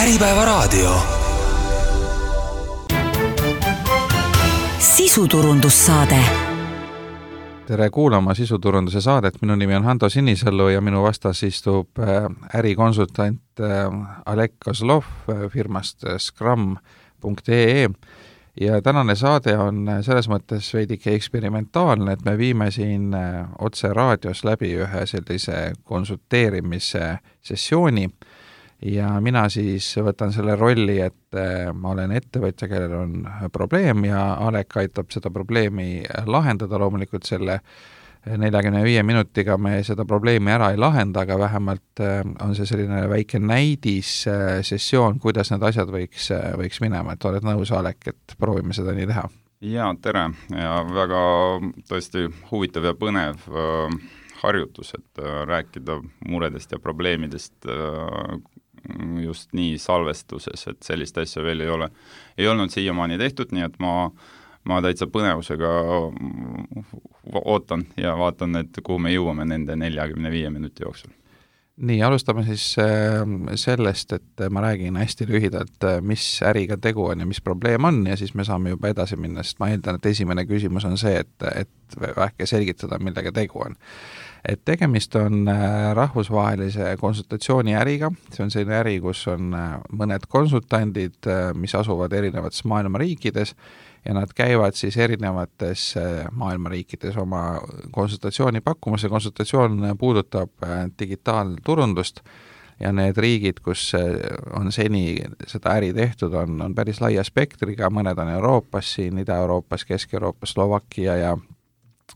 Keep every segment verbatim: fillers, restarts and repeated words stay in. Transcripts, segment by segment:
Äripäevaraadio. Sisuturundussaade. Tere kuulama sisuturunduse saadet, minu nimi on Hando Sinisalu ja minu vastas istub ärikonsultant Alek Kozlov firmast scrum punkt ee ja tänane saade on selles mõttes veidike eksperimentaalne, et me viime siin otse raadios läbi ühe sellise konsulteerimise sessiooni ja mina siis võtan selle rolli, et ma olen ettevõtja, kellel on probleem ja Alek aitab seda probleemi lahendada. Loomulikult selle neljakümne viie minutiga me seda probleemi ära ei lahenda, aga vähemalt on see selline väike näidis sessioon, kuidas need asjad võiks, võiks minema. Et oled nõus, Alek, et proovime seda nii teha? Jaa, tere. Ja väga tõesti huvitav ja põnev äh, harjutus, et äh, rääkida muredest ja probleemidest äh, just nii salvestuses, et sellist asja veel ei ole, ei olnud siiamaani tehtud, nii et ma, ma täitsa põnevusega ootan ja vaatan, et kuhu me jõuame nende neljakümne viie minuti jooksul. Nii, alustame siis sellest, et ma räägin hästi lühidalt, mis äriga tegu on ja mis probleem on ja siis me saame juba edasi minna, sest ma eeldan, et esimene küsimus on see, et, et vähke selgitada, millega tegu on. Et tegemist on rahvusvahelise konsultatsiooni äriga, see on selline äri, kus on mõned konsultandid, mis asuvad erinevates maailma riikides ja nad käivad siis erinevates maailma riikides oma konsultatsiooni pakkumas ja konsultatsioon puudutab digitaalturundust ja need riigid, kus on seni seda äri tehtud, on, on päris laia spektriga, mõned on Euroopas, siin Ida-Euroopas, Kesk-Euroopas, Slovakkia ja,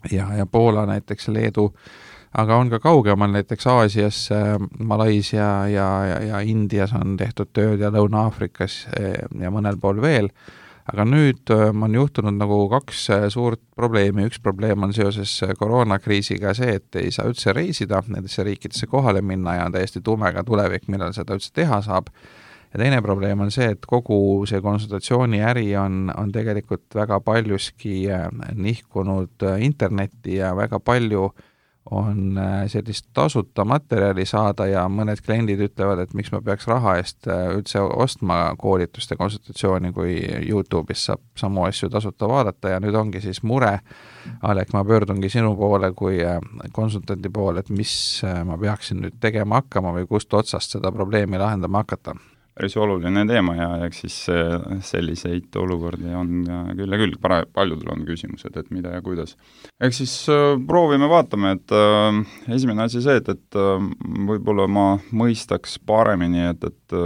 ja, ja Poola näiteks, Leedu, aga on ka kaugemal, näiteks Aasias, Malaisia ja, ja, ja Indias on tehtud tööd ja Lõuna-Aafrikas ja mõnel pool veel. Aga nüüd on juhtunud nagu kaks suurt probleemi. Üks probleem on seoses koroonakriisiga see, et ei saa üldse reisida nendesse riikidesse kohale minna ja on täiesti tumega tulevik, millal seda üldse teha saab. Ja teine probleem on see, et kogu see konsultatsiooni äri on, on tegelikult väga paljuski nihkunud internetti ja väga palju on sellist tasuta materjali saada ja mõned kliendid ütlevad, et miks ma peaks raha eest üldse ostma koolituste konsultatsiooni, kui YouTube'is saab samu asju tasuta vaadata ja nüüd ongi siis mure. Alek, ma pöördungi sinu poole kui konsultanti poole, et mis ma peaksin nüüd tegema hakkama või kust otsast seda probleemi lahendama hakata? Päris oluline teema ja eks siis selliseid olukordi on küll ja küll, paljudel on küsimused, et mida ja kuidas. Eks siis proovime vaatame, et äh, esimene asi see, et, et äh, võib-olla ma mõistaks paremini, et, et,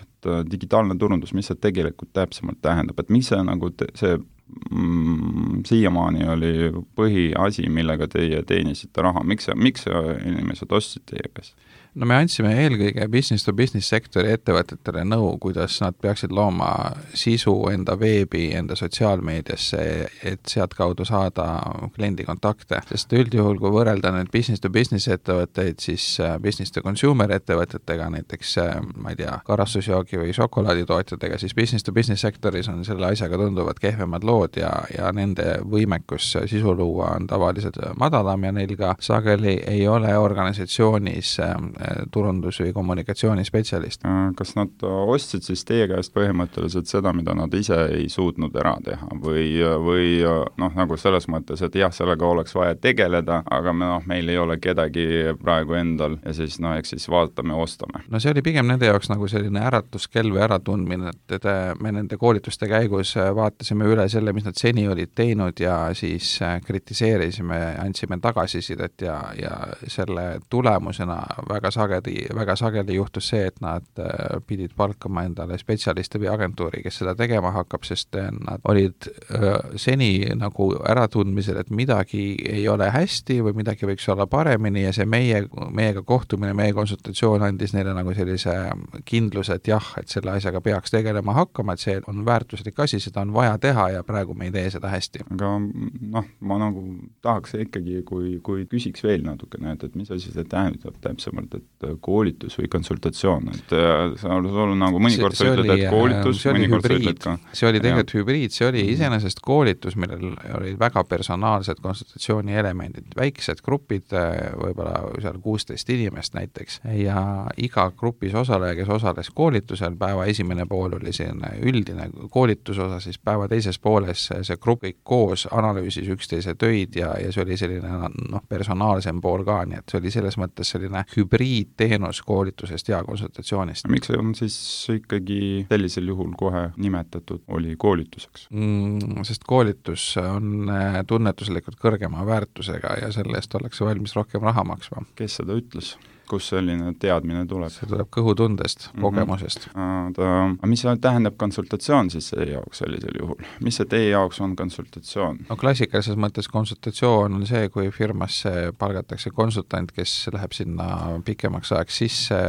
et digitaalne turundus, mis see tegelikult täpsemalt tähendab, et mis see, nagu te, see mm, siiamaani oli põhiasi, millega teie teenisite raha, miks, miks inimesed ostsid teie käest? No me andsime eelkõige business to business sektori ettevõtetele nõu, kuidas nad peaksid looma sisu enda veebi, enda sotsiaalmeediasse, et sealt kaudu saada kliendi kontakte. Sest üldjuhul, kui võrrelda need business to business ettevõtteid, siis business to consumer ettevõtetega, näiteks, ma ei tea, karastusjoogi või šokolaaditootjatega, siis business to business sektoris on selle asjaga tunduvad kehvemad lood ja, ja nende võimekus sisu luua on tavaliselt madalam ja neil ka sageli ei ole organisatsioonis turundus- või kommunikatsioonispetsialist. Kas nad ostsid siis teie käest põhimõtteliselt seda, mida nad ise ei suutnud ära teha või, või noh, nagu selles mõttes, et jah, sellega oleks vaja tegeleda, aga me, noh, meil ei ole kedagi praegu endal ja siis, noh, eks siis vaatame, ostame. No see oli pigem nende jaoks nagu selline äratuskell või äratundmine, et me nende koolituste käigus vaatasime üle selle, mis nad seni olid teinud ja siis kritiseerisime, andsime tagasisidet ja, ja selle tulemusena väga sageli, väga sageli juhtus see, et nad pidid palkama endale spetsialiste või agentuuri, kes seda tegema hakkab, sest nad olid seni nagu äratundmisel, et midagi ei ole hästi või midagi võiks olla paremini ja see meie, meiega kohtumine, meie konsultatsioon andis neile nagu sellise kindluse, et jah, et selle asjaga peaks tegelema hakkama, et see on väärtuslik asi, seda on vaja teha ja praegu me ei tee seda hästi. Aga noh, ma nagu tahaks ikkagi, kui, kui küsiks veel natukene, et, et mis asi see tähendab täpsemalt, et koolitus või konsultatsioon, et sa sul nagu mõnikord sa ütled, et koolitus, mõnikord sa ütled ka. See oli tegelikult hübriid, see oli iseenesest koolitus, millel olid väga personaalsed konsultatsiooni elemendid, väiksed grupid, võib-olla seal kuusteist inimest näiteks, ja iga grupis osaleja, kes osales koolitusel, päeva esimene pool oli selline üldine koolitusosa, siis päeva teises pooles see grupp kõik koos analüüsis üksteise töid ja, ja see oli selline noh, personaalsem pool ka, nii et see oli selles mõttes selline hübriidteenus koolitusest ja konsultatsioonist. Miks on siis ikkagi sellisel juhul kohe nimetatud oli koolituseks? Mm, sest koolitus on tunnetuslikult kõrgema väärtusega ja selle eest ollakse valmis rohkem raha maksma. Kes seda ütles? Kus selline teadmine tuleb? See tuleb kõhutundest, kogemusest. Mm-hmm. Aga mis tähendab konsultatsioon siis teie jaoks sellisel juhul? Mis see teie jaoks on konsultatsioon? No klassikalises mõttes konsultatsioon on see, kui firmasse palgatakse konsultant, kes läheb sinna pikemaks ajaks sisse,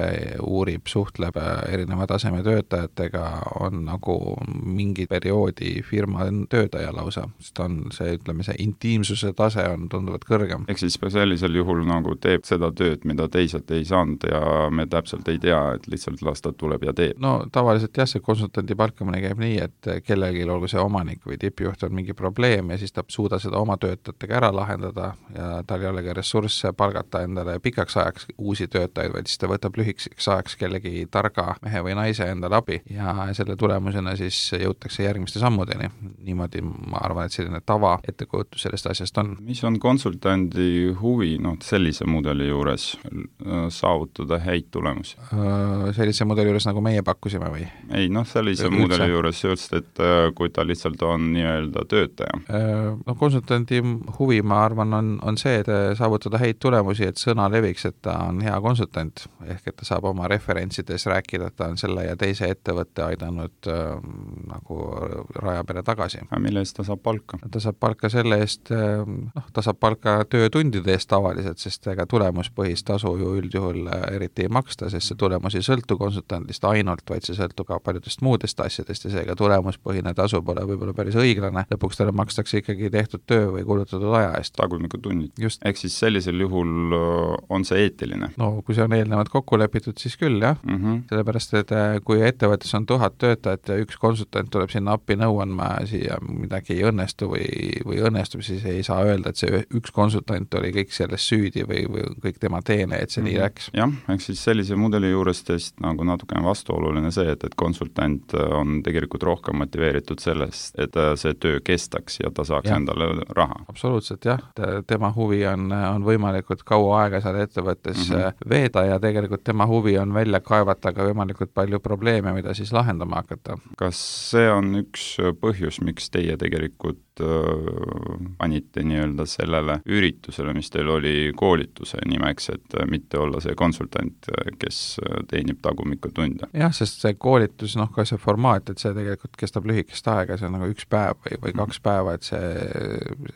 uurib, suhtleb erineva taseme töötajatega, on nagu mingi perioodi firma töötaja lausa, sest on see, ütleme, see intiimsuse tase on tunduvalt kõrgem. Ehk siis sellisel juhul nagu teeb seda tööd, mida teised ei saanud ja me täpselt ei tea, et lihtsalt las ta tuleb ja teeb. No tavaliselt jah, see konsultanti palkamine käib nii, et kellelgi olgu see omanik või tippjuht on mingi probleem ja siis ta suuda seda oma töötajatega ära lahendada ja tal ei ole ka ressursse palgata endale pikaks ajaks uusi töötajaid, vaid siis ta võtab lühikeseks ajaks kellegi targa mehe või naise endale abi ja selle tulemusena siis jõutakse järgmiste sammudeni. Niimoodi ma arvan, et selline tava ettekujutus sellest asjast on. Mis on konsultandi huvi no, sellise mudeli juures saavutada häid tulemusi? Sellise mudeli juures, nagu meie pakkusime või? Ei, noh, sellise Üldse. mudeli juures just, et kui ta lihtsalt on nii-öelda töötaja. No konsultandi huvi, ma arvan, on, on see, et saavutada häid tulemusi, et sõna leviks, et ta on hea konsultant, ehk et ta saab oma referentsides rääkida, et ta on selle ja teise ettevõtte aidanud äh, nagu raja peale tagasi. Aga mille eest ta saab palka? Ta saab palka selle eest, noh, ta saab palka töötundide eest tavaliselt, sest ega tulemuspõhist tasu ju üldjuhul eriti ei maksta, sest see tulemus ei sõltu konsultandist ainult, vaid see sõltu ka paljudest muudest asjadest ja seega tulemuspõhine tasu pole võib-olla päris õiglane. Lõpuks talle makstakse ikkagi tehtud töö või kulutatud aja eest. Tagumiku tunnid. Ehk siis sellisel juhul on see eetiline? No kui see on eelnevalt kokku lepitud, siis küll jah. Mm -hmm. Sellepärast, et kui ettevõttes on tuhat töötajat ja üks konsultant tuleb sinna appi nõu andma siia midagi ei õnnestu või, või õnnestub, siis ei saa öelda, et see üks konsultant oli kõik selles süüdi või, või kõik tema teene, et see mm -hmm. nii läks. Jah, ehk siis sellise mudeli juures teist nagu natukene vastuoluline see, et, et konsultant on tegelikult rohkem motiveeritud sellest, et see töö kestaks ja ta saaks ja. endale raha. Absoluutselt jah, tema huvi on, on võimalikult kaua aega seal ettevõttes mm -hmm. veeda ja tegelikult tema huvi on välja kaevata ka võimalikult palju probleeme, mida siis lahendama hakata. Kas see on üks põhjus, miks teie tegelikult panite nii-öelda sellele üritusele, mis teil oli koolituse nimeks, et mitte olla see konsultant, kes teenib tagumikutunde? Jah, sest see koolitus, noh ka see formaat, et see tegelikult kestab lühikest aega, see on nagu üks päev või, või kaks päeva, et see,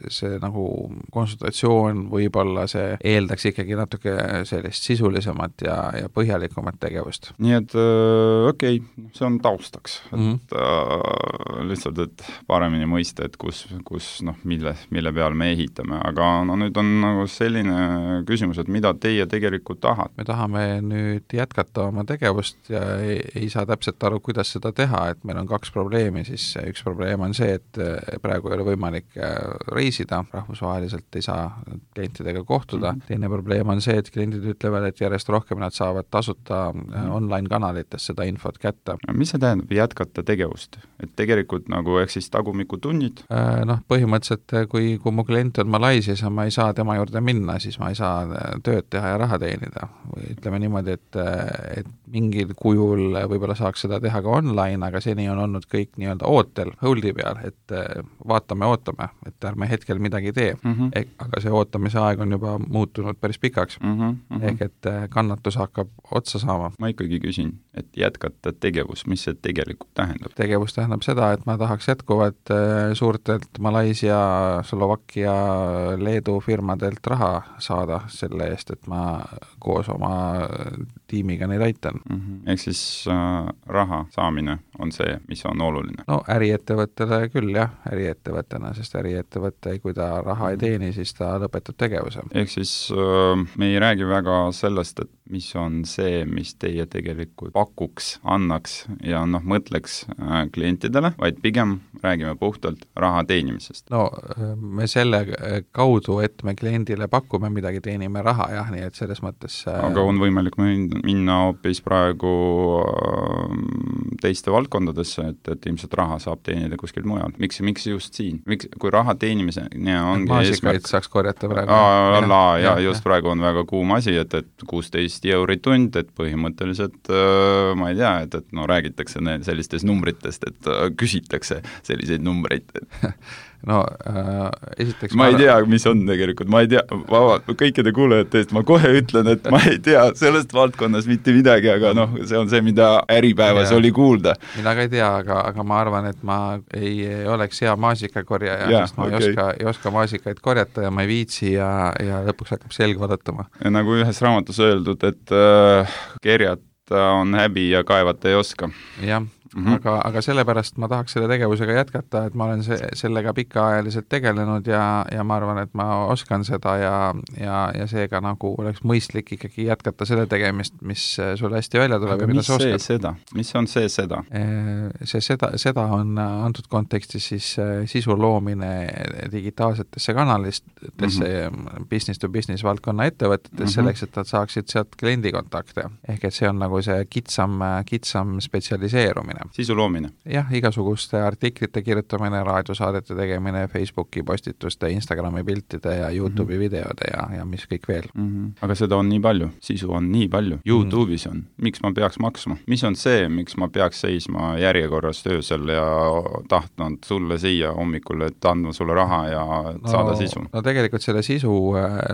see nagu konsultatsioon võib-olla see eeldaks ikkagi natuke sellist sisulisemat ja, ja põhjalikumat tegevust. Nii et äh, okei, okay, see on taustaks, et mm -hmm. äh, lihtsalt, et paremini mõista, et kus kus noh, mille, mille peal me ehitame, aga no nüüd on nagu selline küsimus, et mida teie tegelikult tahate? Me tahame nüüd jätkata oma tegevust ja ei, ei saa täpselt aru, kuidas seda teha, et meil on kaks probleemi, siis üks probleem on see, et praegu ei ole võimalik reisida, rahvusvaheliselt ei saa klientidega kohtuda, mm-hmm. teine probleem on see, et kliendid ütlevad, et järjest rohkem nad saavad tasuta mm-hmm. online-kanalites seda infot kätte. Mis see tähendab, jätkata tegevust? Et tegelikult nagu ehk siis tagumikutunnid? Noh, põhimõtteliselt, kui, kui mu klient on Malaisias ja ma ei saa tema juurde minna, siis ma ei saa tööd teha ja raha teenida. Või ütleme niimoodi, et, et mingil kujul võib-olla saaks seda teha ka online, aga seni on olnud kõik nii-öelda ootel, hold'i peal, et vaatame, ootame, et ärme hetkel midagi tee. Mm-hmm. Ehk, aga see ootamise aeg on juba muutunud päris pikaks. Mm-hmm. Mm-hmm. Ehk et kannatus hakkab otsa saama. Ma ikkagi küsin, et jätkata tegevus, mis see tegelikult tähendab? Tegevus tähendab seda, et ma tahaks jätkuvat suurtelt Malaisia, Slovakkia, Leedu firmadelt raha saada selle eest, et ma koos oma tiimiga neid aitan. Mm-hmm. ehk siis äh, raha saamine on see, mis on oluline. No äriettevõttele küll jah, äriettevõttena, sest äriettevõte, kui ta raha ei teeni, siis ta lõpetab tegevuse. Ehk siis äh, me ei räägi väga sellest, et mis on see, mis teie tegelikult pakuks, annaks ja noh, mõtleks äh, klientidele, vaid pigem räägime puhtalt raha teenimisest. No me selle kaudu, et me kliendile pakume midagi, teenime raha, jah, nii et selles mõttes äh... aga on võimalik minna hoopis praegu teiste valdkondadesse, et, et ilmselt raha saab teenida kuskilt mujal. Miks, miks just siin? Miks, kui raha teenimise ja ongi maasikaid eesmärk... saaks korjata praegu. Aa, la, ja, ja just ja. Praegu on väga kuum asi, et, et kuusteist euri tund, et põhimõtteliselt ma ei tea, et, et no räägitakse sellistest numbritest, et küsitakse selliseid numbreid. No äh, esiteks ma ei tea, mis on tegelikult, ma ei tea, vaba, kõikide kuulajate eest, ma kohe ütlen, et ma ei tea sellest valdkonnas mitte midagi, aga noh, see on see, mida Äripäevas ja. Oli kuulda. Mina ka ei tea, aga, aga ma arvan, et ma ei oleks hea maasikakorjaja, sest ma okay. ei, oska, ei oska maasikaid korjata ja ma ei viitsi ja, ja lõpuks hakkab selg valutama. Nagu ühes raamatus öeldud, et äh, kerjata on häbi ja kaevata ei oska. Jah. Mm-hmm. Aga, aga sellepärast ma tahaks selle tegevusega jätkata, et ma olen se, sellega pikaajaliselt tegelenud ja, ja ma arvan, et ma oskan seda ja, ja, ja seega nagu oleks mõistlik ikkagi jätkata selle tegemist, mis sul hästi välja tuleb. Aga mis see seda? Mis on see seda? See seda, seda on antud kontekstis siis sisu loomine digitaalsetesse kanalistesse mm-hmm. business to business valdkonna ettevõtetes mm-hmm. selleks, et nad saaksid sealt kliendikontakte. Ehk et see on nagu see kitsam, kitsam spetsialiseerumine. Sisu loomine. Jah, igasuguste artiklite kirjutamine, raadiosaadete tegemine, Facebooki postituste, Instagrami piltide ja YouTube'i mm-hmm. videode ja, ja mis kõik veel. Mm-hmm. Aga seda on nii palju, sisu on nii palju. YouTube'is on. Miks ma peaks maksma? Mis on see, miks ma peaks seisma järjekorras töösel ja tahtnud sulle siia hommikul, et andma sulle raha ja no, saada sisu? No tegelikult selle sisu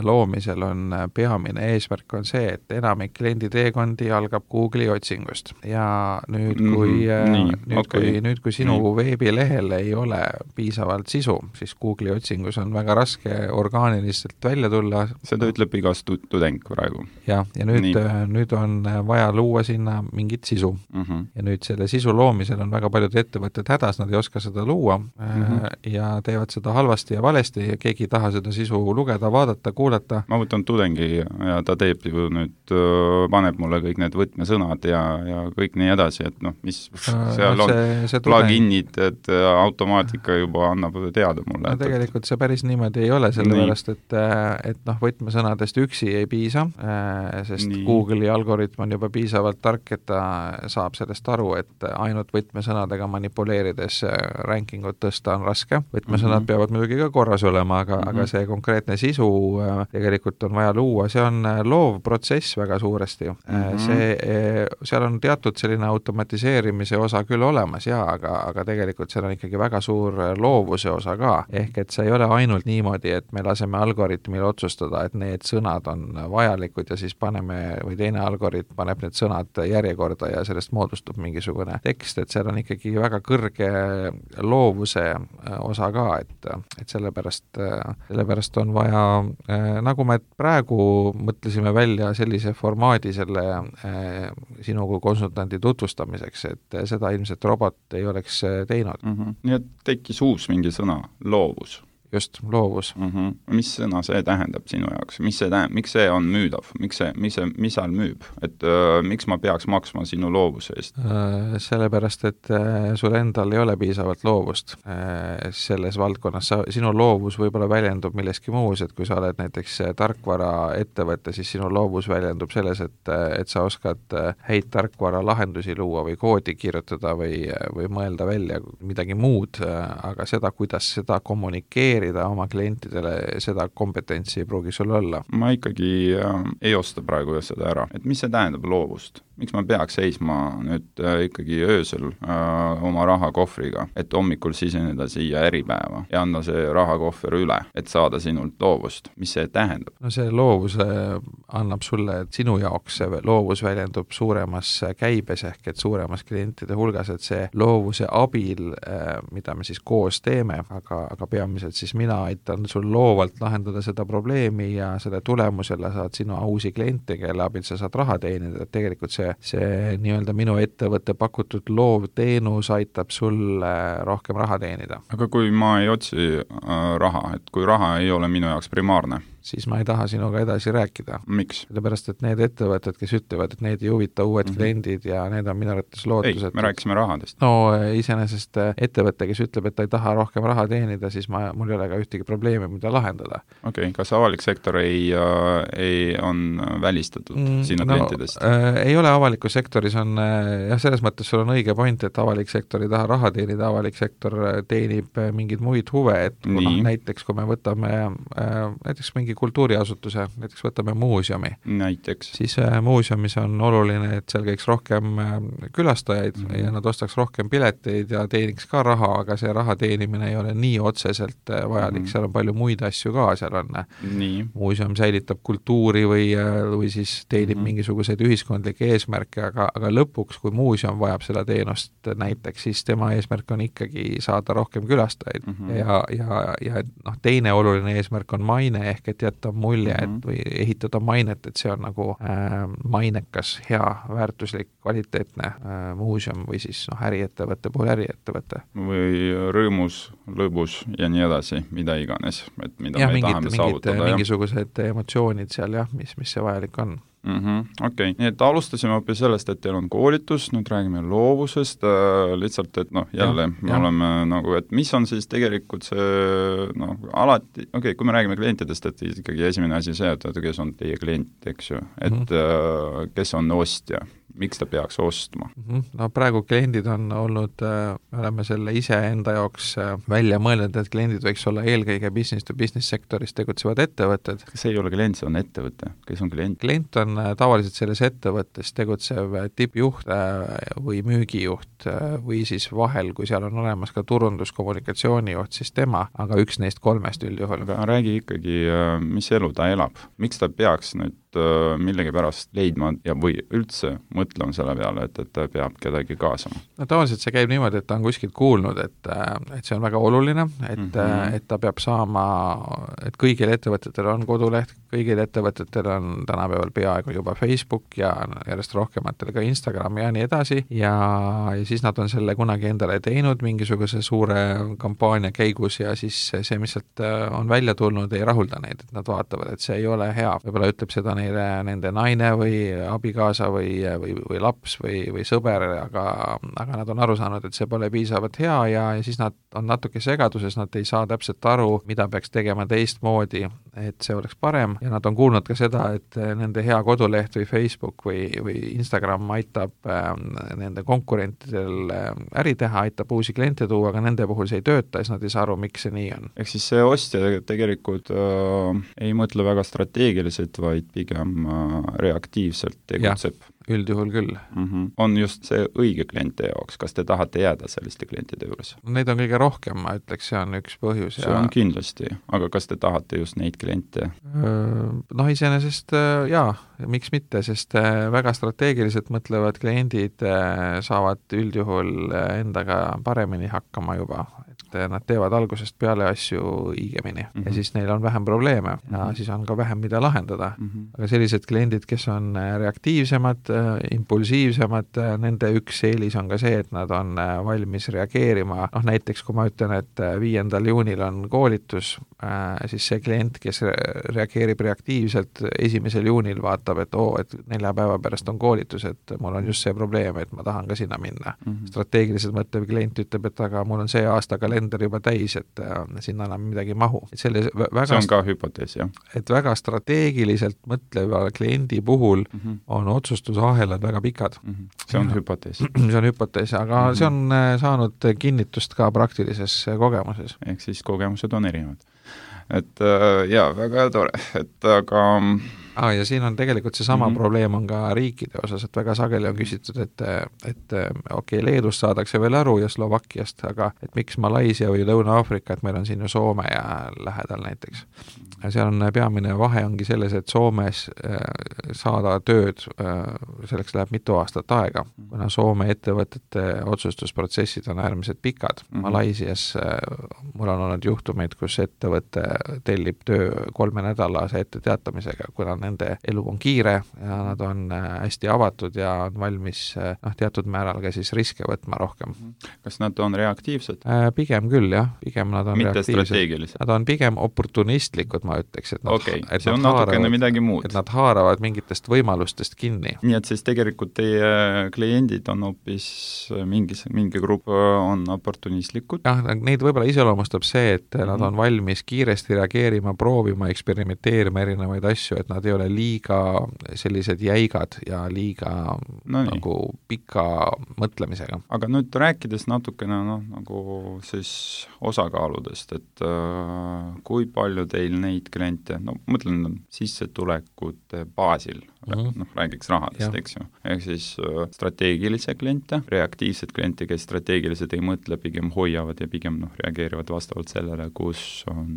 loomisel on peamine eesmärk on see, et enamik kliendi teekondi algab Google'i otsingust. Ja nüüd, kui mm-hmm. Nii, nüüd, okay. kui, nüüd, kui sinu nii. Veebilehel ei ole piisavalt sisu, siis Google'i otsingus on väga raske orgaaniliselt välja tulla. Seda ütleb igas tudeng praegu. Ja, ja nüüd, nüüd on vaja luua sinna mingit sisu. Mm-hmm. Ja nüüd selle sisu loomisel on väga paljud ettevõtted hädas, nad ei oska seda luua mm-hmm. ja teevad seda halvasti ja valesti ja keegi ei taha seda sisu lugeda, vaadata, kuulata. Ma võtan tudengi ja ta teeb ju nüüd, paneb mulle kõik need võtmesõnad ja, ja kõik nii edasi, et noh, mis seal on pluginid, et automaatika juba annab teada mulle. No tegelikult see päris niimoodi ei ole, sellepärast, et, et noh, võtmesõnadest üksi ei piisa, sest nii. Google'i algoritm on juba piisavalt tark, et ta saab sellest aru, et ainult võtmesõnadega manipuleerides rankingut tõsta on raske. Võtmesõnad mm-hmm. peavad muidugi ka korras olema, aga, mm-hmm. aga see konkreetne sisu tegelikult on vaja luua. See on loov protsess väga suuresti. Mm-hmm. See, seal on teatud selline automatiseerimise osa küll olemas jaa, aga, aga tegelikult seal on ikkagi väga suur loovuse osa ka. Ehk et see ei ole ainult niimoodi, et me laseme algoritmil otsustada, et need sõnad on vajalikud ja siis paneme, või teine algoritm paneb need sõnad järjekorda ja sellest moodustub mingisugune tekst, et seal on ikkagi väga kõrge loovuse osa ka, et, et sellepärast, sellepärast on vaja, nagu me praegu mõtlesime välja sellise formaadi selle sinu kui konsultandi tutvustamiseks, et seda ilmselt robot ei oleks teinud. Mm-hmm. Nii et tekkis uus mingi sõna, loovus. Just, loovus. Mm-hmm. Mis sõna see tähendab sinu jaoks? Mis see tähendab? Miks see on müüdav? Miks see, mis see, mis seal müüb? Et äh, miks ma peaks maksma sinu loovuse eest? Äh, sellepärast, et äh, sul endal ei ole piisavalt loovust äh, selles valdkonnas. Sa, sinu loovus võib-olla väljendub milleski muus, et kui sa oled näiteks tarkvara ettevõte, siis sinu loovus väljendub selles, et, et sa oskad häid tarkvara lahendusi luua või koodi kirjutada või, või mõelda välja midagi muud, aga seda, kuidas seda kommunikeerida oma klientidele, seda kompetentsi ei pruugi sul olla. Ma ikkagi äh, ei osta praegu seda ära. Et mis see tähendab loovust? Miks ma peaks seisma nüüd äh, ikkagi öösel äh, oma rahakohvriga, et hommikul siseneda siia Äripäeva ja anda see rahakohver üle, et saada sinult loovust? Mis see tähendab? No see loovuse annab sulle, et sinu jaoks see loovus väljendub suuremas käibes ehk et suuremas klientide hulgas, et see loovuse abil, äh, mida me siis koos teeme, aga, aga peamiselt siis mina aitan sul loovalt lahendada seda probleemi ja selle tulemusele saad sinu uusi kliente, kelle abil sa saad raha teenida, et tegelikult see see, see nii-öelda minu ettevõtte pakutud loov teenus aitab sul rohkem raha teenida. Aga kui ma ei otsi äh, raha, et kui raha ei ole minu jaoks primaarne, siis ma ei taha sinuga edasi rääkida. Miks? Sellepärast, et need ettevõtted, kes ütlevad, et need ei huvita uued mm -hmm. kliendid ja need on minu arvates lootused. Ei, me rääkisime rahadest. No iseenesest ettevõte, kes ütleb, et ta ei taha rohkem raha teenida, siis ma, mul ei ole ka ühtegi probleemi, mida lahendada. Okei, okay. Kas avalik sektor ei, äh, ei on välistatud mm, sinu no, klientidest? Äh, ei ole avalikus sektoris, on jah, selles mõttes sul on õige point, et avalik sektor ei taha raha teenida, avalik sektor teenib mingeid muid huve, et no, näiteks kui me võtame äh, näiteks mingi kultuuriasutuse, näiteks võtame muuseumi. Näiteks. Siis äh, muuseumis on oluline, et seal käiks rohkem äh, külastajaid mm -hmm. ja nad ostaks rohkem pileteid ja teeniks ka raha, aga see raha teenimine ei ole nii otseselt äh, vajalik, mm -hmm. seal on palju muid asju ka, seal on nii. Muuseum säilitab kultuuri või, või siis teenib mm -hmm. mingisuguseid ühiskondlikke eesmärke, aga, aga lõpuks, kui muuseum vajab seda teenust näiteks, siis tema eesmärk on ikkagi saada rohkem külastajaid mm -hmm. ja, ja, ja noh, teine oluline eesmärk on maine, ehk et jätta mulje, et või ehitada mainet, et see on nagu äh, mainekas, hea, väärtuslik, kvaliteetne äh, muuseum või siis noh, äriettevõtte puhul äriettevõte. Või rõõmus, lõbus ja nii edasi, mida iganes, et mida ja, me mingid, tahame mingid, saavutada. Mingisugused emotsioonid seal jah, mis, mis see vajalik on. Mm -hmm. Okei, okay. Nii et alustasime hoopis sellest, et teil on koolitus, nüüd räägime loovusest, äh, lihtsalt, et noh, jälle ja, me ja. oleme nagu, et mis on siis tegelikult see noh, alati, okei okay,, kui me räägime klientidest, et ikkagi esimene asi see, et kes on teie klient, eks ju, et mm -hmm. äh, kes on ostja, miks ta peaks ostma? No praegu kliendid on olnud, me oleme selle ise enda jaoks välja mõelnud, et kliendid võiks olla eelkõige business to business sektoris tegutsevad ettevõtted. See ei ole klient, see on ettevõte. Kes on klient? Klient on tavaliselt selles ettevõttes tegutsev tippjuht või müügijuht või siis vahel, kui seal on olemas ka turunduskommunikatsioonijuht, siis tema, aga üks neist kolmest üldjuhul. Aga räägi ikkagi, mis elu ta elab, miks ta peaks nüüd millegi pärast leidma ja või üldse mõtlema selle peale, et, et ta peab kedagi kaasama? No tavaliselt see käib niimoodi, et ta on kuskilt kuulnud, et, et see on väga oluline, et mm, -hmm. et ta peab saama, et kõigil ettevõtetel on koduleht, kõigil ettevõtetel on tänapäeval peaaegu juba Facebook ja järjest rohkematel ka Instagram ja nii edasi ja, ja siis nad on selle kunagi endale teinud mingisuguse suure kampaania käigus ja siis see, mis sealt on välja tulnud, ei rahulda neid, et nad vaatavad, et see ei ole hea, võib-olla ütleb seda neile nende naine või abikaasa või, või, või laps või, või sõber, aga, aga nad on aru saanud, et see pole piisavalt hea ja, ja siis nad on natuke segaduses, nad ei saa täpselt aru, mida peaks tegema teistmoodi, et see oleks parem ja nad on kuulnud ka seda, et nende hea koduleht või Facebook või, või Instagram aitab äh, nende konkurentidel äri teha, aitab uusi kliente tuua, aga nende puhul see ei tööta, siis nad ei saa aru, miks see nii on. Ehk siis see ostja tegelikult äh, ei mõtle väga strateegiliselt, vaid pigem äh, reaktiivselt tegutseb. Üldjuhul küll. Mm -hmm. On just see õige kliente jaoks, kas te tahate jääda selliste klientide juures? Neid on kõige rohkem, ma ütleks, see on üks põhjus. See ja... on kindlasti, aga kas te tahate just neid kliente? Noh, iseenesest jaa, miks mitte, sest väga strateegiliselt mõtlevad kliendid saavad üldjuhul endaga paremini hakkama juba, et nad teevad algusest peale asju õigemini mm -hmm. ja siis neil on vähem probleeme ja mm -hmm. siis on ka vähem, mida lahendada mm. -hmm. aga sellised kliendid, kes on reaktiivsemad, impulsiivsemad, nende üks eelis on ka see, et nad on valmis reageerima, noh näiteks kui ma ütlen, et viiendal juunil on koolitus, siis see klient, kes reageerib reaktiivselt, esimesel juunil vaatab, et oo, et nelja päeva pärast on koolitus, et mul on just see probleem, et ma tahan ka sinna minna mm. -hmm. strateegiliselt mõtlev klient ütleb, et aga mul on see aasta kalender juba täis, et sinna enam midagi mahu. Et selle väga, see on ka hüpotees, jah? Et väga strateegiliselt mõtleva kliendi puhul mm -hmm. on otsustusahelad väga pikad. Mm -hmm. See on ja, hüpotees. See on hüpotees, aga mm -hmm. see on saanud kinnitust ka praktilises kogemuses. Ehk siis kogemused on erinevad. Et jaa, väga tore, et aga Ah, ja siin on tegelikult seesama mm -hmm. probleem on ka riikide osas, et väga sageli on küsitud, et, et okei, okay, Leedust saadakse veel aru ja Slovakkiast, aga et miks Malaisia või Lõuna-Aafrika, et meil on siin ju Soome ja lähedal näiteks. Ja seal on peamine vahe ongi selles, et Soomes saada tööd, selleks läheb mitu aastat aega, kuna Soome ettevõtete otsustusprotsessid on äärmiselt pikad. Mm -hmm. Malaisias mul on olnud juhtumeid, kus ettevõte tellib töö kolme nädalase ette teatamisega, kuna nende elu on kiire ja nad on hästi avatud ja on valmis noh, teatud määral ka siis riske võtma rohkem. Kas nad on reaktiivsed? Pigem küll, jah. Pigem nad on mitte reaktiivsed. Strateegilised? Nad on pigem oportunistlikud, ma ütleks. Et nad, okay. et see on nad natukene haaravad, midagi muud. Et nad haaravad mingitest võimalustest kinni. Nii et siis tegelikult teie kliendid on hoopis mingis, mingi grupp on oportunistlikud? jah, neid võib-olla iseloomustab see, et mm-hmm. nad on valmis kiiresti reageerima, proovima, eksperimenteerima erinevaid asju, et nad ei ole liiga sellised jäigad ja liiga no nagu pika mõtlemisega. Aga nüüd rääkides natukene noh, nagu siis osakaaludest, et äh, kui palju teil neid kliente, no mõtlen sissetulekute baasil, mm-hmm. noh, räägiks rahadest, eks ju, ehk siis äh, strateegilise kliente, reaktiivsed kliente, kes strateegiliselt ei mõtle, pigem hoiavad ja pigem noh, reageerivad vastavalt sellele, kus on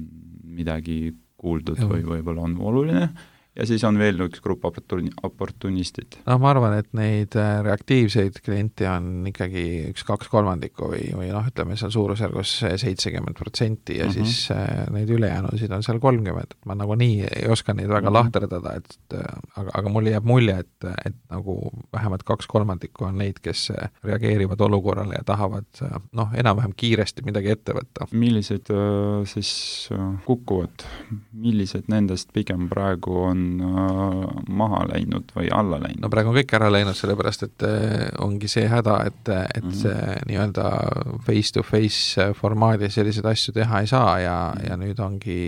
midagi kuuldud ja. Või võib-olla on oluline, ja siis on veel üks grupp oportuni, oportunistid. No ma arvan, et neid reaktiivseid kliente on ikkagi üks kaks kolmandikku või, või noh, ütleme seal suurusjärgus seitsekümmend protsenti ja uh-huh. siis äh, neid ülejäänusid on seal kolmkümmend, et ma nagu nii ei oska neid väga uh-huh. lahterdada, et aga, aga mulle jääb mulje, et, et nagu vähemalt kaks kolmandikku on neid, kes reageerivad olukorrale ja tahavad noh, enam-vähem kiiresti midagi ette võtta. Millised äh, siis äh, kukuvad, millised nendest pigem praegu on maha läinud või alla läinud? No praegu on kõik ära läinud, sellepärast et ongi see häda, et, et mm-hmm. see nii-öelda face-to-face formaadis selliseid asju teha ei saa ja, ja nüüd ongi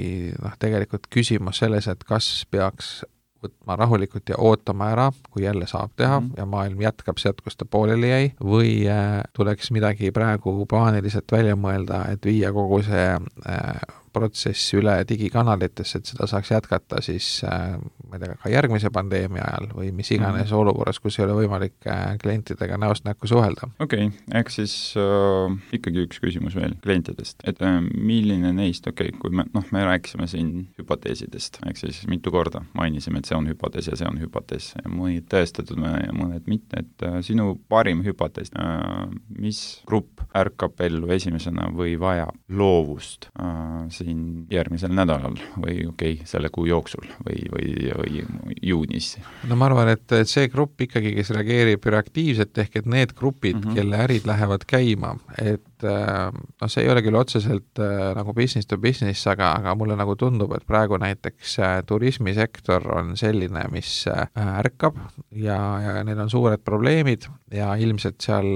noh, tegelikult küsimus selles, et kas peaks võtma rahulikult ja ootama ära, kui jälle saab teha mm-hmm. ja maailm jätkab sealt, kus ta pooleli jäi, või äh, tuleks midagi praegu plaaniliselt välja mõelda, et viia kogu see äh, protsess üle digikanalitesse, et seda saaks jätkata siis äh, ma ei tea, ka järgmise pandeemia ajal või mis iganes mm-hmm. olukorras, kus ei ole võimalik äh, klientidega näost näkku suhelda. Okei, okay. ehk siis äh, ikkagi üks küsimus veel klientidest, et äh, milline neist, okei okay,, kui me, noh, me rääkisime siin hüpoteesidest, ehk siis mitu korda mainisime, et see on hüpotees ja see on hüpotees ja mõned tõestatud ja mõned mitte, et äh, sinu parim hüpotees, äh, mis grupp ärkab ellu esimesena või vajab loovust äh, siin järgmisel nädalal või okei okay,, selle kuu jooksul või, või, või juunis? No ma arvan, et see grupp ikkagi, kes reageerib reaktiivselt, ehk et need grupid, mm-hmm. kelle ärid lähevad käima, et no see ei ole küll otseselt nagu business to business, aga, aga mulle nagu tundub, et praegu näiteks turismisektor on selline, mis ärkab ja, ja neil on suured probleemid ja ilmselt seal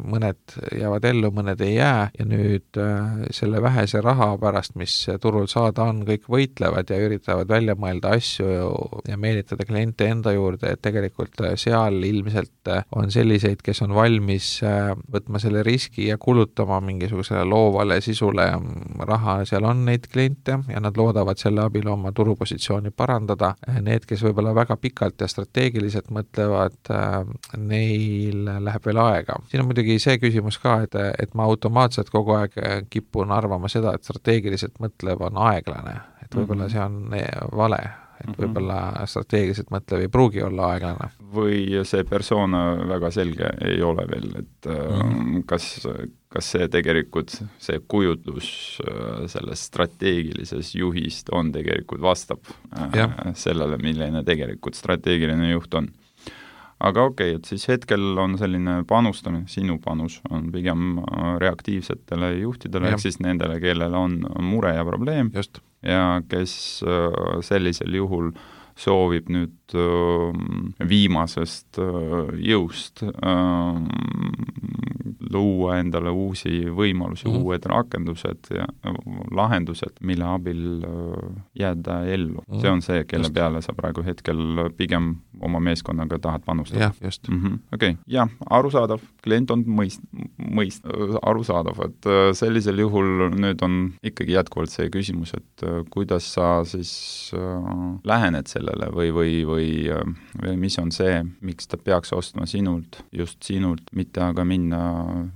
mõned jäävad ellu, mõned ei jää ja nüüd selle vähese raha pärast, mis turul saada on, kõik võitlevad ja üritavad välja mõelda asju ja meelitada kliente enda juurde, et tegelikult seal ilmselt on selliseid, kes on valmis võtma selle riski ja kulutama mingisugusele loovale sisule raha, seal on neid kliente ja nad loodavad selle abil oma turupositsiooni parandada. Need, kes võib-olla väga pikalt ja strateegiliselt mõtlevad, neil läheb veel aega. Siin on muidugi see küsimus ka, et, et ma automaatselt kogu aeg kipun arvama seda, et strateegiliselt mõtlev on aeglane, et võib-olla see on vale, et võib-olla strateegiliselt mõtlev ei pruugi olla aeglane. Või see persoon väga selge ei ole veel, et mm-hmm. kas, kas see tegelikult, see kujutlus sellest strateegilises juhist on tegelikult vastab ja. sellele, milline tegelikult strateegiline juht on. Aga okei okay,, et siis hetkel on selline panustamine, sinu panus on pigem reaktiivsetele juhtidele, ehk siis nendele, kellel on mure ja probleem. Just. Ja kes sellisel juhul soovib nüüd viimasest jõust luua endale uusi võimalusi, mm-hmm. uued rakendused ja lahendused, mille abil jääda ellu. Mm-hmm. See on see, kelle just. Peale sa praegu hetkel pigem oma meeskonnaga tahad panustada. Jah, just. Mm-hmm. Okei, okay. ja arusaadav, klient on mõist, mõist, arusaadav, et sellisel juhul nüüd on ikkagi jätkuvalt see küsimus, et kuidas sa siis lähened sellele või, või, või, või mis on see, miks ta peaks ostma sinult, just sinult, mitte aga minna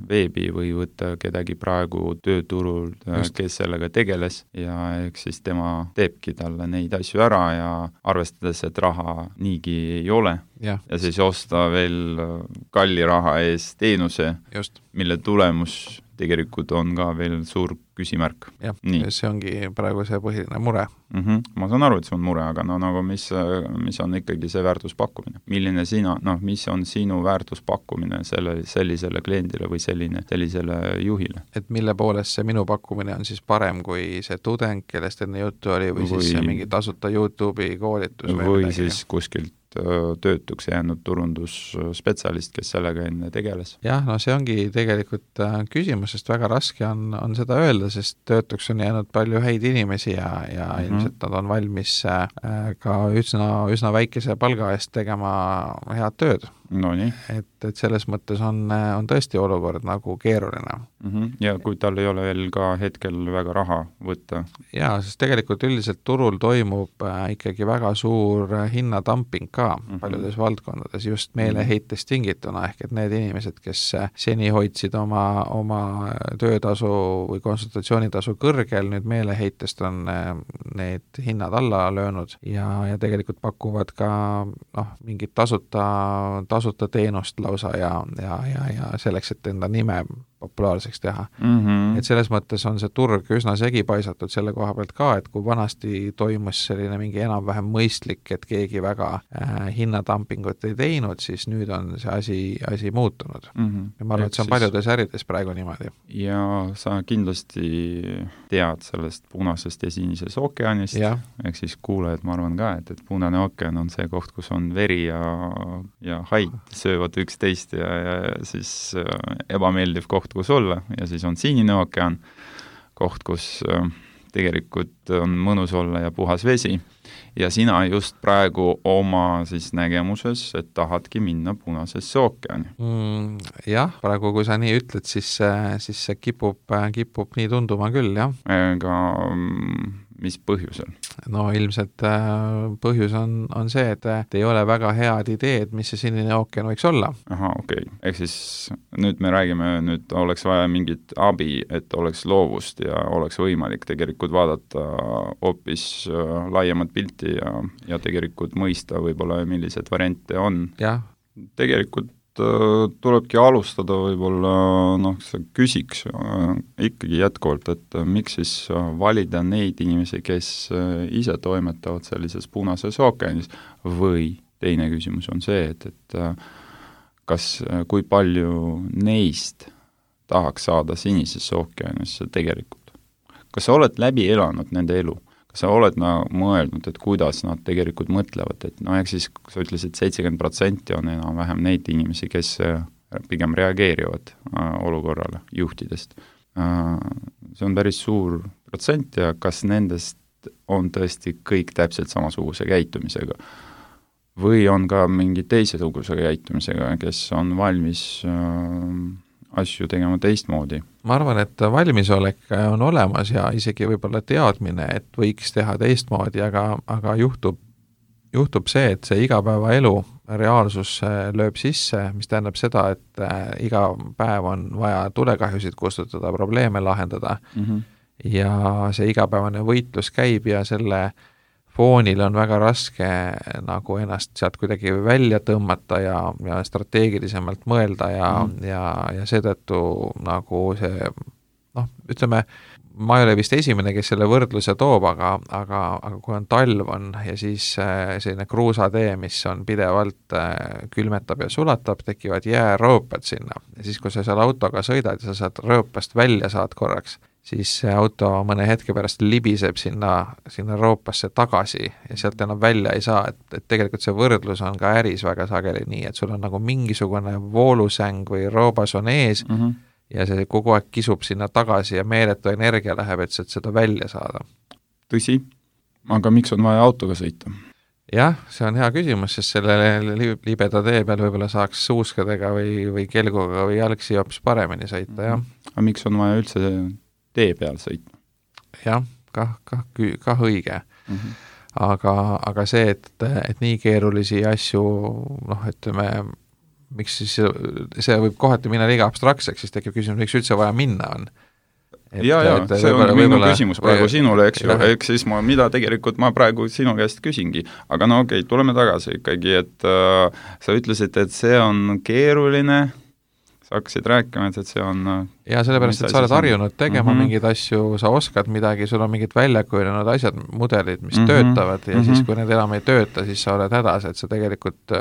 veebi või võtta kedagi praegu tööturul, kes sellega tegeles ja eks siis tema teebki talle neid asju ära ja arvestades, et raha niigi ei ole ja, ja siis osta veel kalli raha eest teenuse, just. Mille tulemus tegelikult on ka veel suur küsimärk. jah, see ongi praegu see põhiline mure. Mm-hmm. Ma saan aru, et see on mure, aga no nagu mis, mis on ikkagi see väärtuspakkumine? Milline sina, noh, mis on sinu väärtuspakkumine selle, sellisele kliendile või selline, sellisele juhile? Et mille poolest see minu pakkumine on siis parem kui see tudeng, kellest enne juttu oli, või, või siis mingi tasuta YouTube'i koolitus või, või siis kuskilt töötuks jäänud turundusspetsialist, kes sellega enne tegeles. jah, no see ongi tegelikult küsimus, sest väga raske on, on seda öelda, sest töötuks on jäänud palju häid inimesi ja, ja mm-hmm. ilmselt nad on valmis ka üsna, üsna väikese palga eest tegema head tööd. No nii. Et, et selles mõttes on, on tõesti olukord nagu keeruline. Mm-hmm. Ja kui tal ei ole veel ka hetkel väga raha võtta? Jaa, sest tegelikult üldiselt turul toimub ikkagi väga suur hinnadamping ka mm-hmm. paljudes valdkondades, just meeleheitest tingituna, ehk et need inimesed, kes seni hoidsid oma, oma töötasu või konsultatsioonitasu kõrgel, nüüd meeleheitest on need hinnad alla löönud ja, ja tegelikult pakuvad ka noh, mingit tasuta tasuta teenust lausa ja, ja, ja, ja selleks, et enda nime populaarseks teha. Mm-hmm. Et selles mõttes on see turg üsna segi paisatud selle koha pealt ka, et kui vanasti toimus selline mingi enam-vähem mõistlik, et keegi väga äh, hinnadampingut ei teinud, siis nüüd on see asi, asi muutunud. Mm-hmm. Ja ma arvan, et see on paljudes ärides praegu niimoodi. Ja sa kindlasti tead sellest punasest ja sinisest ookeanist, ehk siis kuulajad, ma arvan ka, et, et punane ookean on see koht, kus on veri ja, ja haid söövad üksteist ja, ja siis äh, ebameeldiv koht, kus olla, ja siis on sinine ookean, koht, kus äh, tegelikult on mõnus olla ja puhas vesi, ja sina just praegu oma siis nägemuses, et tahadki minna punasesse ookeani. Mm, jah, praegu kui sa nii ütled, siis, siis see kipub, kipub nii tunduma küll, jah. Aga mis põhjusel? No ilmselt põhjus on, on see, et, et ei ole väga head ideed, mis see sinine ookean võiks olla. Aha, okei. Okay. Ehk siis nüüd me räägime, nüüd oleks vaja mingit abi, et oleks loovust ja oleks võimalik tegelikult vaadata hoopis laiemat pilti ja, ja tegelikult mõista võib-olla, millised variante on. Jah. Tegelikult tulebki alustada võib-olla, noh, sa küsiks ikkagi jätkuvalt, et miks siis valida neid inimesi, kes ise toimetavad sellises punases ookeanis, või teine küsimus on see, et, et kas, kui palju neist tahaks saada sinisesse ookeanisse tegelikult. Kas sa oled läbi elanud nende elu? Kas sa oled no, mõelnud, et kuidas nad tegelikult mõtlevad, et no ehk siis, kui sa ütlesid, seitsekümmend protsenti on enam-vähem neid inimesi, kes pigem reageerivad äh, olukorrale juhtidest. Äh, see on päris suur protsent ja kas nendest on tõesti kõik täpselt samasuguse käitumisega? Või on ka mingi teisesuguse käitumisega, kes on valmis äh, asju tegema teistmoodi? Ma arvan, et valmisolek on olemas ja isegi võib-olla teadmine, et võiks teha teistmoodi, aga, aga juhtub, juhtub see, et see igapäevaelu reaalsus lööb sisse, mis tähendab seda, et iga päev on vaja tulekahjusid kustutada, probleeme lahendada mm-hmm. ja see igapäevane võitlus käib ja selle foonil on väga raske nagu ennast sealt kuidagi välja tõmmata ja, ja strateegilisemalt mõelda ja mm., ja, ja seetõttu nagu see, noh, ütleme, ma ei ole vist esimene, kes selle võrdluse toob, aga, aga, aga kui on talv on ja siis selline kruusatee, mis on pidevalt külmetab ja sulatab, tekivad jäärõõpad sinna ja siis, kui sa seal autoga sõidad ja sa saad rõõpast välja saad korraks, siis see auto mõne hetke pärast libiseb sinna, sinna roopasse tagasi ja sealt enam välja ei saa, et, et tegelikult see võrdlus on ka äris väga sageli nii, et sul on nagu mingisugune voolusäng või roobas on ees mm-hmm. ja see kogu aeg kisub sinna tagasi ja meeletu energia läheb, et seda välja saada. Tõsi, aga miks on vaja autoga sõita? Jah, see on hea küsimus, sest selle libeda tee peal võib-olla saaks suuskadega või, või kelguga või jalgsi hoopis paremini sõita, jah. Aga miks on vaja üldse tee peal sõitma? Jah, kah, kah, kah õige. Mm-hmm. Aga, aga see, et, et nii keerulisi asju, noh, ütleme, miks siis see võib kohati minna liiga abstraktseks, siis tekib küsimus, miks üldse vaja minna on. Et, ja, ja, et, see on minu võibolla, küsimus praegu või, sinule, eks ju, eks siis ma, mida tegelikult ma praegu sinu käest küsingi. Aga no okei, okay, tuleme tagasi ikkagi, et äh, sa ütlesid, et see on keeruline, sa hakkasid rääkima, et, et see on ja sellepärast, et sa oled harjunud tegema mm -hmm. mingeid asju, sa oskad midagi, sul on mingid väljakujunenud asjad, mudelid, mis mm -hmm. töötavad ja mm -hmm. siis, kui need enam ei tööta, siis sa oled hädas, et sa tegelikult,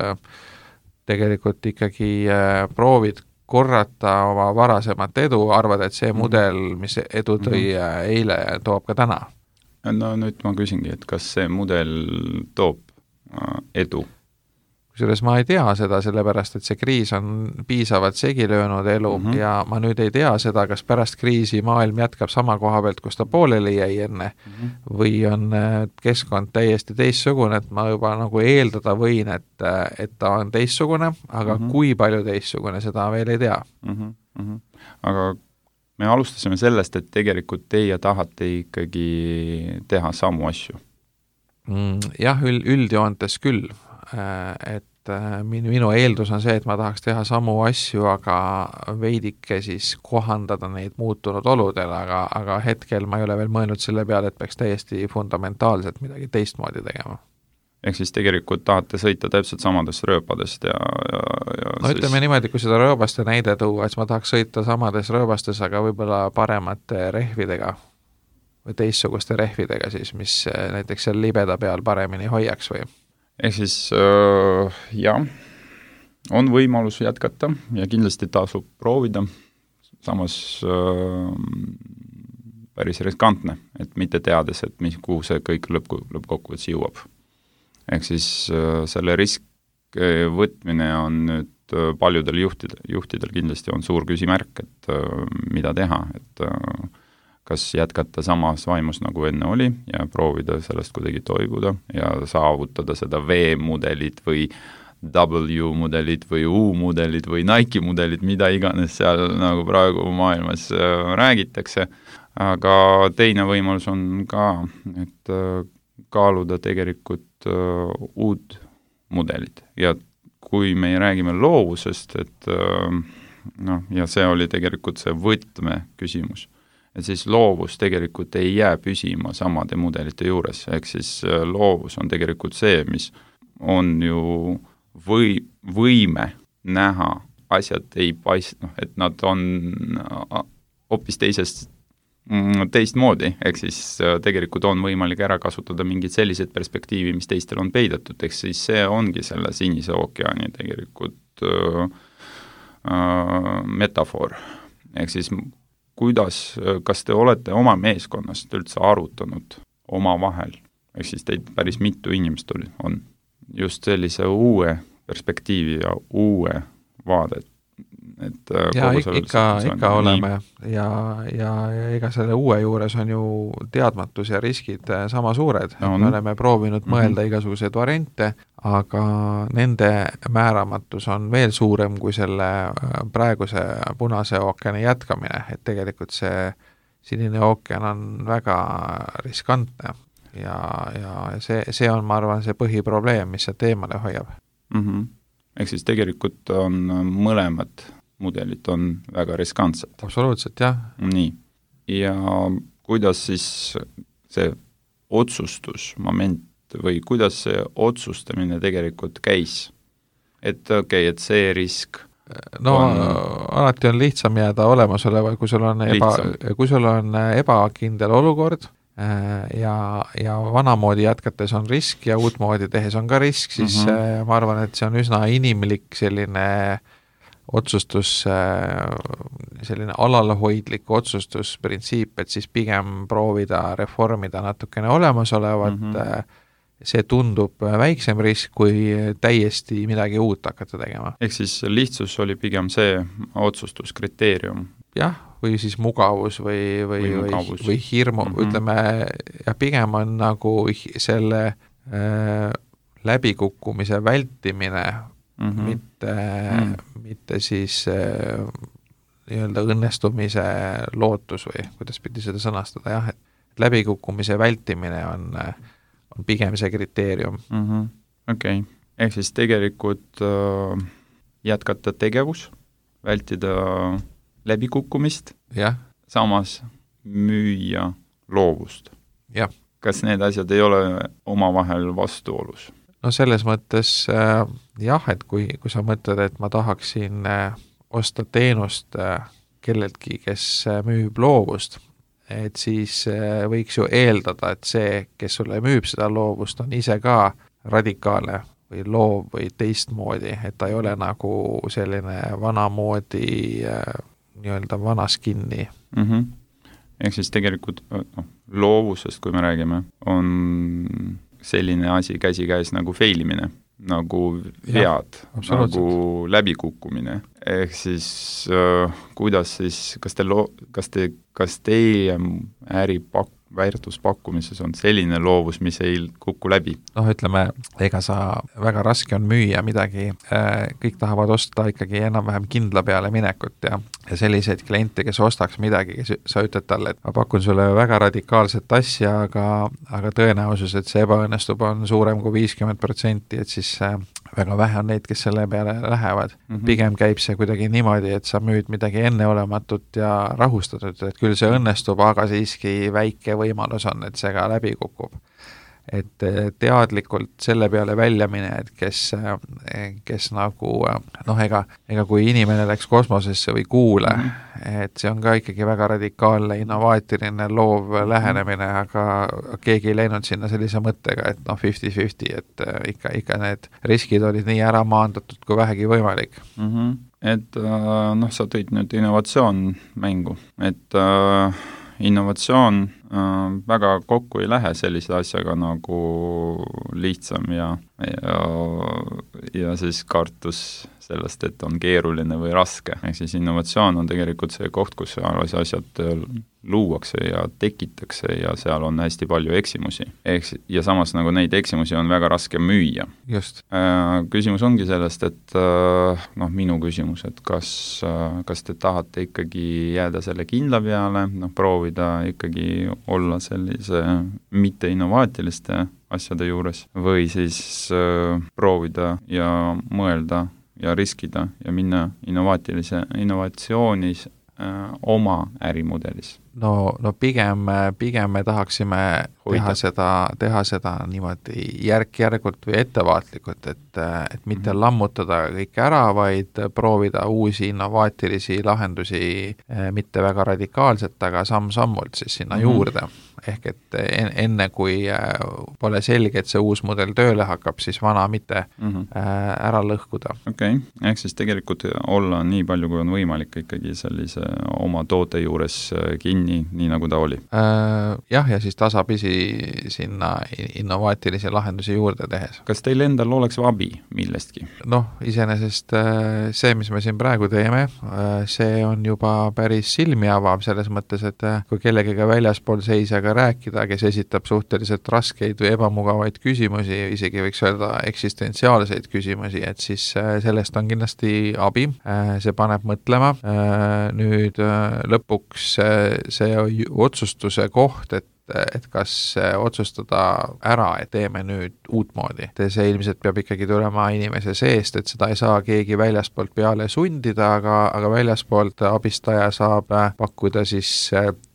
tegelikult ikkagi proovid korrata oma varasemat edu, arvad, et see mudel, mis edu tõi mm -hmm. eile, toob ka täna. No nüüd ma küsingi, et kas see mudel toob edu? Kusjuures ma ei tea seda, sellepärast et see kriis on piisavalt segi löönud elu mm -hmm. ja ma nüüd ei tea seda, kas pärast kriisi maailm jätkab sama koha pealt, kus ta pooleli jäi enne mm -hmm. või on keskkond täiesti teistsugune, et ma juba nagu eeldada võin, et, et ta on teistsugune, aga mm -hmm. kui palju teistsugune, seda veel ei tea mm. -hmm. Aga me alustasime sellest, et tegelikult teie tahate ikkagi teha samu asju mm,. Jah, üld, üldjoontes küll. Et minu, minu eeldus on see, et ma tahaks teha samu asju, aga veidike siis kohandada neid muutunud oludele, aga, aga hetkel ma ei ole veel mõelnud selle peale, et peaks täiesti fundamentaalselt midagi teistmoodi tegema. Ehk siis tegelikult tahate sõita täpselt samadest rööpadest ja, ja, ja no siis... ütleme niimoodi, kui seda rööbaste näide tuua, et ma tahaks sõita samades rööbastes, aga võib-olla paremate rehvidega või teistsuguste rehvidega siis, mis näiteks seal libeda peal paremini hoiaks või ehk siis äh, jah, on võimalus jätkata ja kindlasti tasub proovida, samas äh, päris riskantne, et mitte teades, et mis, kuhu see kõik lõpp, lõppkokkuvõttes jõuab. Ehk siis äh, selle risk võtmine on nüüd äh, paljudel juhtidel, juhtidel kindlasti on suur küsimärk, et äh, mida teha, et äh, kas jätkata samas vaimus, nagu enne oli ja proovida sellest kuidagi toibuda ja saavutada seda V-mudelit või W-mudelit või U-mudelit või Nike mudelit, mida iganes seal nagu praegu maailmas äh, räägitakse, aga teine võimalus on ka, et äh, kaaluda tegelikult äh, uut mudelit ja kui me räägime loovusest, et äh, noh, ja see oli tegelikult see võtme küsimus, et siis loovus tegelikult ei jää püsima samade mudelite juures, ehk siis loovus on tegelikult see, mis on ju või, võime näha, asjad ei paist-, noh, et nad on hoopis teisest, teistmoodi, ehk siis tegelikult on võimalik ära kasutada mingid sellised perspektiivi, mis teistel on peidetud, ehk siis see ongi selle Sinise ookeani tegelikult äh, äh, metafoor, ehk siis kuidas, kas te olete oma meeskonnast üldse arutanud omavahel, ehk siis teid päris mitu inimest oli, on just sellise uue perspektiivi ja uue vaadet, et ja ikka, ikka, ikka oleme ja, ja, ja ega selle uue juures on ju teadmatus ja riskid sama suured, no, me oleme proovinud mm -hmm. mõelda igasuguseid variante, aga nende määramatus on veel suurem kui selle praeguse Punase ookeani jätkamine, et tegelikult see Sinine ookean on väga riskantne ja, ja see, see on, ma arvan, see põhiprobleem, mis see teemale hoiab mm. -hmm. Ehk siis tegelikult on mõlemad mudelid on väga riskantsed. Absoluutselt, jah. Nii. Ja kuidas siis see otsustusmoment või kuidas see otsustamine tegelikult käis? Et okei, okay, et see risk no on... alati on lihtsam jääda olemasoleva, kui sul on eba, kui sul on ebakindel olukord ja, ja vanamoodi jätkates on risk ja uutmoodi tehes on ka risk, siis mm -hmm. ma arvan, et see on üsna inimlik selline otsustus, selline alalhoidlik otsustusprintsiip, et siis pigem proovida reformida natukene olemasolevat, mm -hmm. see tundub väiksem risk, kui täiesti midagi uut hakata tegema. Ehk siis lihtsus oli pigem see otsustuskriteerium? Jah, või siis mugavus või, või, või, mugavus. või, või hirmu mm, -hmm. ütleme, ja pigem on nagu selle äh, läbikukkumise vältimine, mm -hmm. mitte mm, -hmm. mitte siis äh, nii-öelda õnnestumise lootus või kuidas pidi seda sõnastada, jah, et läbikukkumise vältimine on, on pigem see kriteerium mm. -hmm. Okei okay., ehk siis tegelikult äh, jätkata tegevus, vältida läbikukkumist, jah. Samas müüa loovust. Jah. Kas need asjad ei ole omavahel vastuolus? No selles mõttes äh, jah, et kui, kui sa mõtled, et ma tahaksin äh, osta teenust kelleltki, kes müüb loovust, et siis võiks ju eeldada, et see, kes sulle müüb seda loovust, on ise ka radikaalne või loov või teistmoodi, et ta ei ole nagu selline vanamoodi nii-öelda vanas kinni. Mm-hmm. Ehk siis tegelikult no, loovusest, kui me räägime, on selline asi käsikäis nagu feilimine, nagu vead, nagu läbikukkumine. Ehk siis äh, kuidas siis, kas te, lo- kas te, kas teie äri pak- väärtuspakkumises on selline loovus, mis ei kuku läbi? Noh, ütleme, ega sa väga raske on müüa midagi, kõik tahavad osta ikkagi enam-vähem kindla peale minekut ja, ja selliseid kliente, kes ostaks midagi, kes sa ütled talle, et ma pakun sulle väga radikaalset asja, aga, aga tõenäosus, et see ebaõnnestub, on suurem kui viiskümmend protsenti, et siis väga vähe on neid, kes selle peale lähevad. Mm-hmm. Pigem käib see kuidagi niimoodi, et sa müüd midagi enneolematut ja rahustatud, et küll see õnnestub, aga siiski väike võimalus on, et see ka läbi kukub. Et teadlikult selle peale välja mine, et kes, kes nagu, noh, ega, ega kui inimene läks kosmosesse või kuule, et see on ka ikkagi väga radikaalne, innovaatiline, loov lähenemine, aga keegi ei läinud sinna sellise mõttega, et noh, fifty fifty, et ikka, ikka need riskid olid nii ära maandatud, kui vähegi võimalik. Mm-hmm. Et noh, sa tõid nüüd innovatsioon mängu, et äh, innovatsioon äh, väga kokku ei lähe sellise asjaga nagu lihtsam ja, ja, ja siis kartus sellest, et on keeruline või raske. Ehk siis innovatsioon on tegelikult see koht, kus asjad luuakse ja tekitakse ja seal on hästi palju eksimusi. Ehk, ja samas nagu neid eksimusi on väga raske müüa. Just. Äh, küsimus ongi sellest, et äh, noh, minu küsimus, et kas, äh, kas te tahate ikkagi jääda selle kindla peale, noh, proovida ikkagi olla sellise mitte innovaatiliste asjade juures või siis äh, proovida ja mõelda ja riskida ja minna innovaatilise, innovatsioonis äh, oma ärimudelis. No, no pigem, pigem me tahaksime Hoida. teha seda, teha seda niimoodi järk-järgult või ettevaatlikult, et, et mitte mm-hmm. lammutada kõike ära, vaid proovida uusi innovaatilisi lahendusi, mitte väga radikaalselt, aga samm-sammult siis sinna mm-hmm. juurde. Ehk et enne, kui pole selge, et see uus mudel tööle hakkab, siis vana mitte mm-hmm. ära lõhkuda. Okei, okay. Ehk siis tegelikult olla nii palju, kui on võimalik ikkagi sellise oma toote juures kinni, Nii, nii nagu ta oli. Äh, jah, ja siis tasapisi sinna innovaatilisi lahendusi juurde tehes. Kas teil endal oleks abi millestki? Noh, iseenesest see, mis me siin praegu teeme, see on juba päris silmi avav selles mõttes, et kui kellegiga väljaspool seisjaga rääkida, kes esitab suhteliselt raskeid või ebamugavaid küsimusi, isegi võiks öelda eksistentsiaalseid küsimusi, et siis sellest on kindlasti abi. See paneb mõtlema. Nüüd lõpuks see otsustuse koht, et et kas otsustada ära, et teeme nüüd uutmoodi. See ilmselt peab ikkagi tulema inimese seest, et seda ei saa keegi väljaspoolt peale sundida, aga, aga väljaspoolt abistaja saab pakkuda siis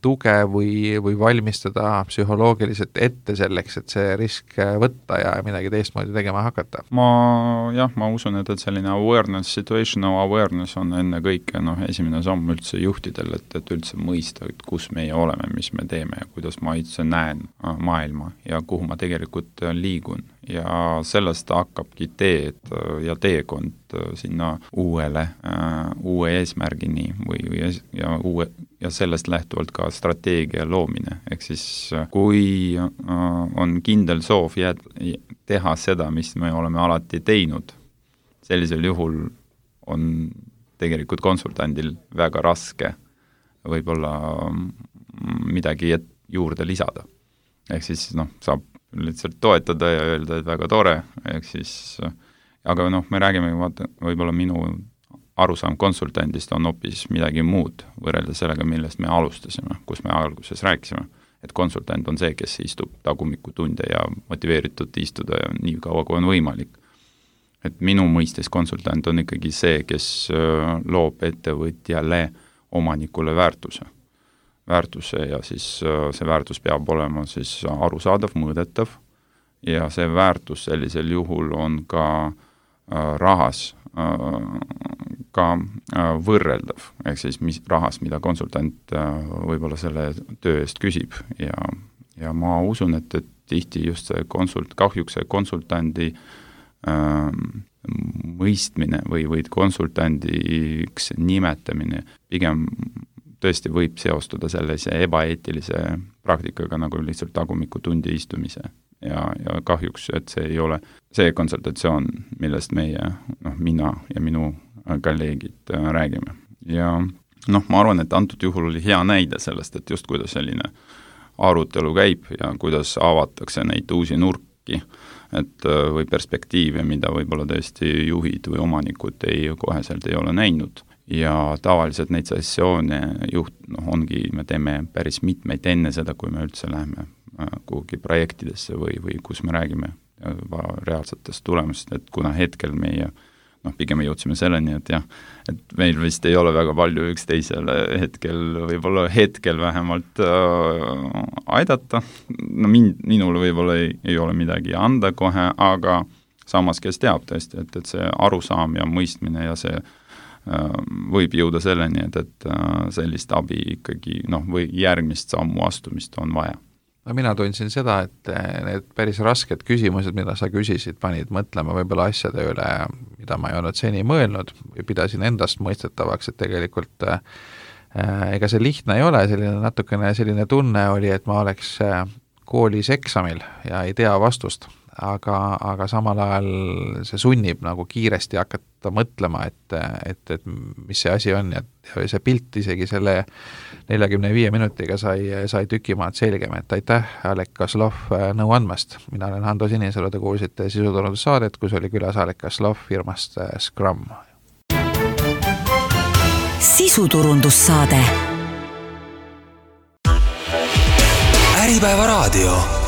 tuge või, või valmistada psühholoogiliselt ette selleks, et see risk võtta ja midagi teistmoodi tegema hakata. Ma, jah, ma usun, et, et selline awareness, situational awareness on enne kõike, noh, esimene samm üldse juhtidel, et, et üldse mõista, et kus meie oleme, mis me teeme ja kuidas ma üldse näen maailma ja kuhu ma tegelikult liigun. Ja sellest hakkabki teed ja teekond sinna uuele, uue eesmärgini või, või ja, uue, ja sellest lähtuvalt ka strateegia loomine. Ehk siis kui on kindel soov jääd, teha seda, mis me oleme alati teinud, sellisel juhul on tegelikult konsultandil väga raske võib-olla midagi juurde lisada. Ehk siis noh, saab lihtsalt toetada ja öelda, et väga tore, ehk siis, aga noh, me räägime, vaata, võib-olla minu arusaam konsultandist on hoopis midagi muud võrreldes sellega, millest me alustasime, kus me alguses rääkisime, et konsultant on see, kes istub tagumiku tunde ja motiveeritud istuda ja nii kaua, kui on võimalik. Et minu mõistes konsultant on ikkagi see, kes loob ettevõtjale omanikule väärtuse. väärtuse ja siis see väärtus peab olema siis arusaadav, mõõdetav ja see väärtus sellisel juhul on ka rahas ka võrreldav, ehk siis mis rahas, mida konsultant võib-olla selle töö eest küsib ja, ja ma usun, et, et tihti just see konsult, kahjuks see konsultandi ähm, mõistmine või, või konsultandiks nimetamine pigem tõesti võib seostuda sellise ebaeetilise praktikaga nagu lihtsalt tagumikutundi istumise ja, ja kahjuks, et see ei ole see konsultatsioon, millest meie, noh, mina ja minu kolleegid räägime. Ja noh, ma arvan, et antud juhul oli hea näide sellest, et just kuidas selline arutelu käib ja kuidas avatakse neid uusi nurki, et või perspektiive, mida võib-olla tõesti juhid või omanikud ei, koheselt ei ole näinud. Ja tavaliselt neid sessioone juht, noh, ongi, me teeme päris mitmeid enne seda, kui me üldse läheme kuhugi projektidesse või, või kus me räägime reaalsetest tulemust, et kuna hetkel meie, noh, pigem me jõudsime selleni, et jah, et meil vist ei ole väga palju üksteisele hetkel, võib-olla hetkel vähemalt äh, aidata, no min, minule võib-olla ei, ei ole midagi anda kohe, aga samas, kes teab tõesti, et, et see arusaam ja mõistmine ja see võib jõuda selleni, et, et sellist abi ikkagi, noh, või järgmist sammu astumist on vaja. No mina tundsin seda, et need päris rasked küsimused, mida sa küsisid, panid mõtlema võib-olla asjade üle, mida ma ei olnud seni mõelnud või pidasin endast mõistetavaks, et tegelikult äh, ega see lihtne ei ole, selline natukene selline tunne oli, et ma oleks koolis eksamil ja ei tea vastust. Aga, aga samal ajal see sunnib nagu kiiresti hakata mõtlema, et, et, et mis see asi on ja, ja see pilt isegi selle neljakümne viie minutiga sai, sai tükimaad selgem, et aitäh, Alek Kaslov, nõu andmast. Mina olen Hando Sinisalu, te kuulsite sisuturundussaadet, kus oli külas Alek Kaslov firmast Scrum. Sisuturundussaade Äripäeva raadio.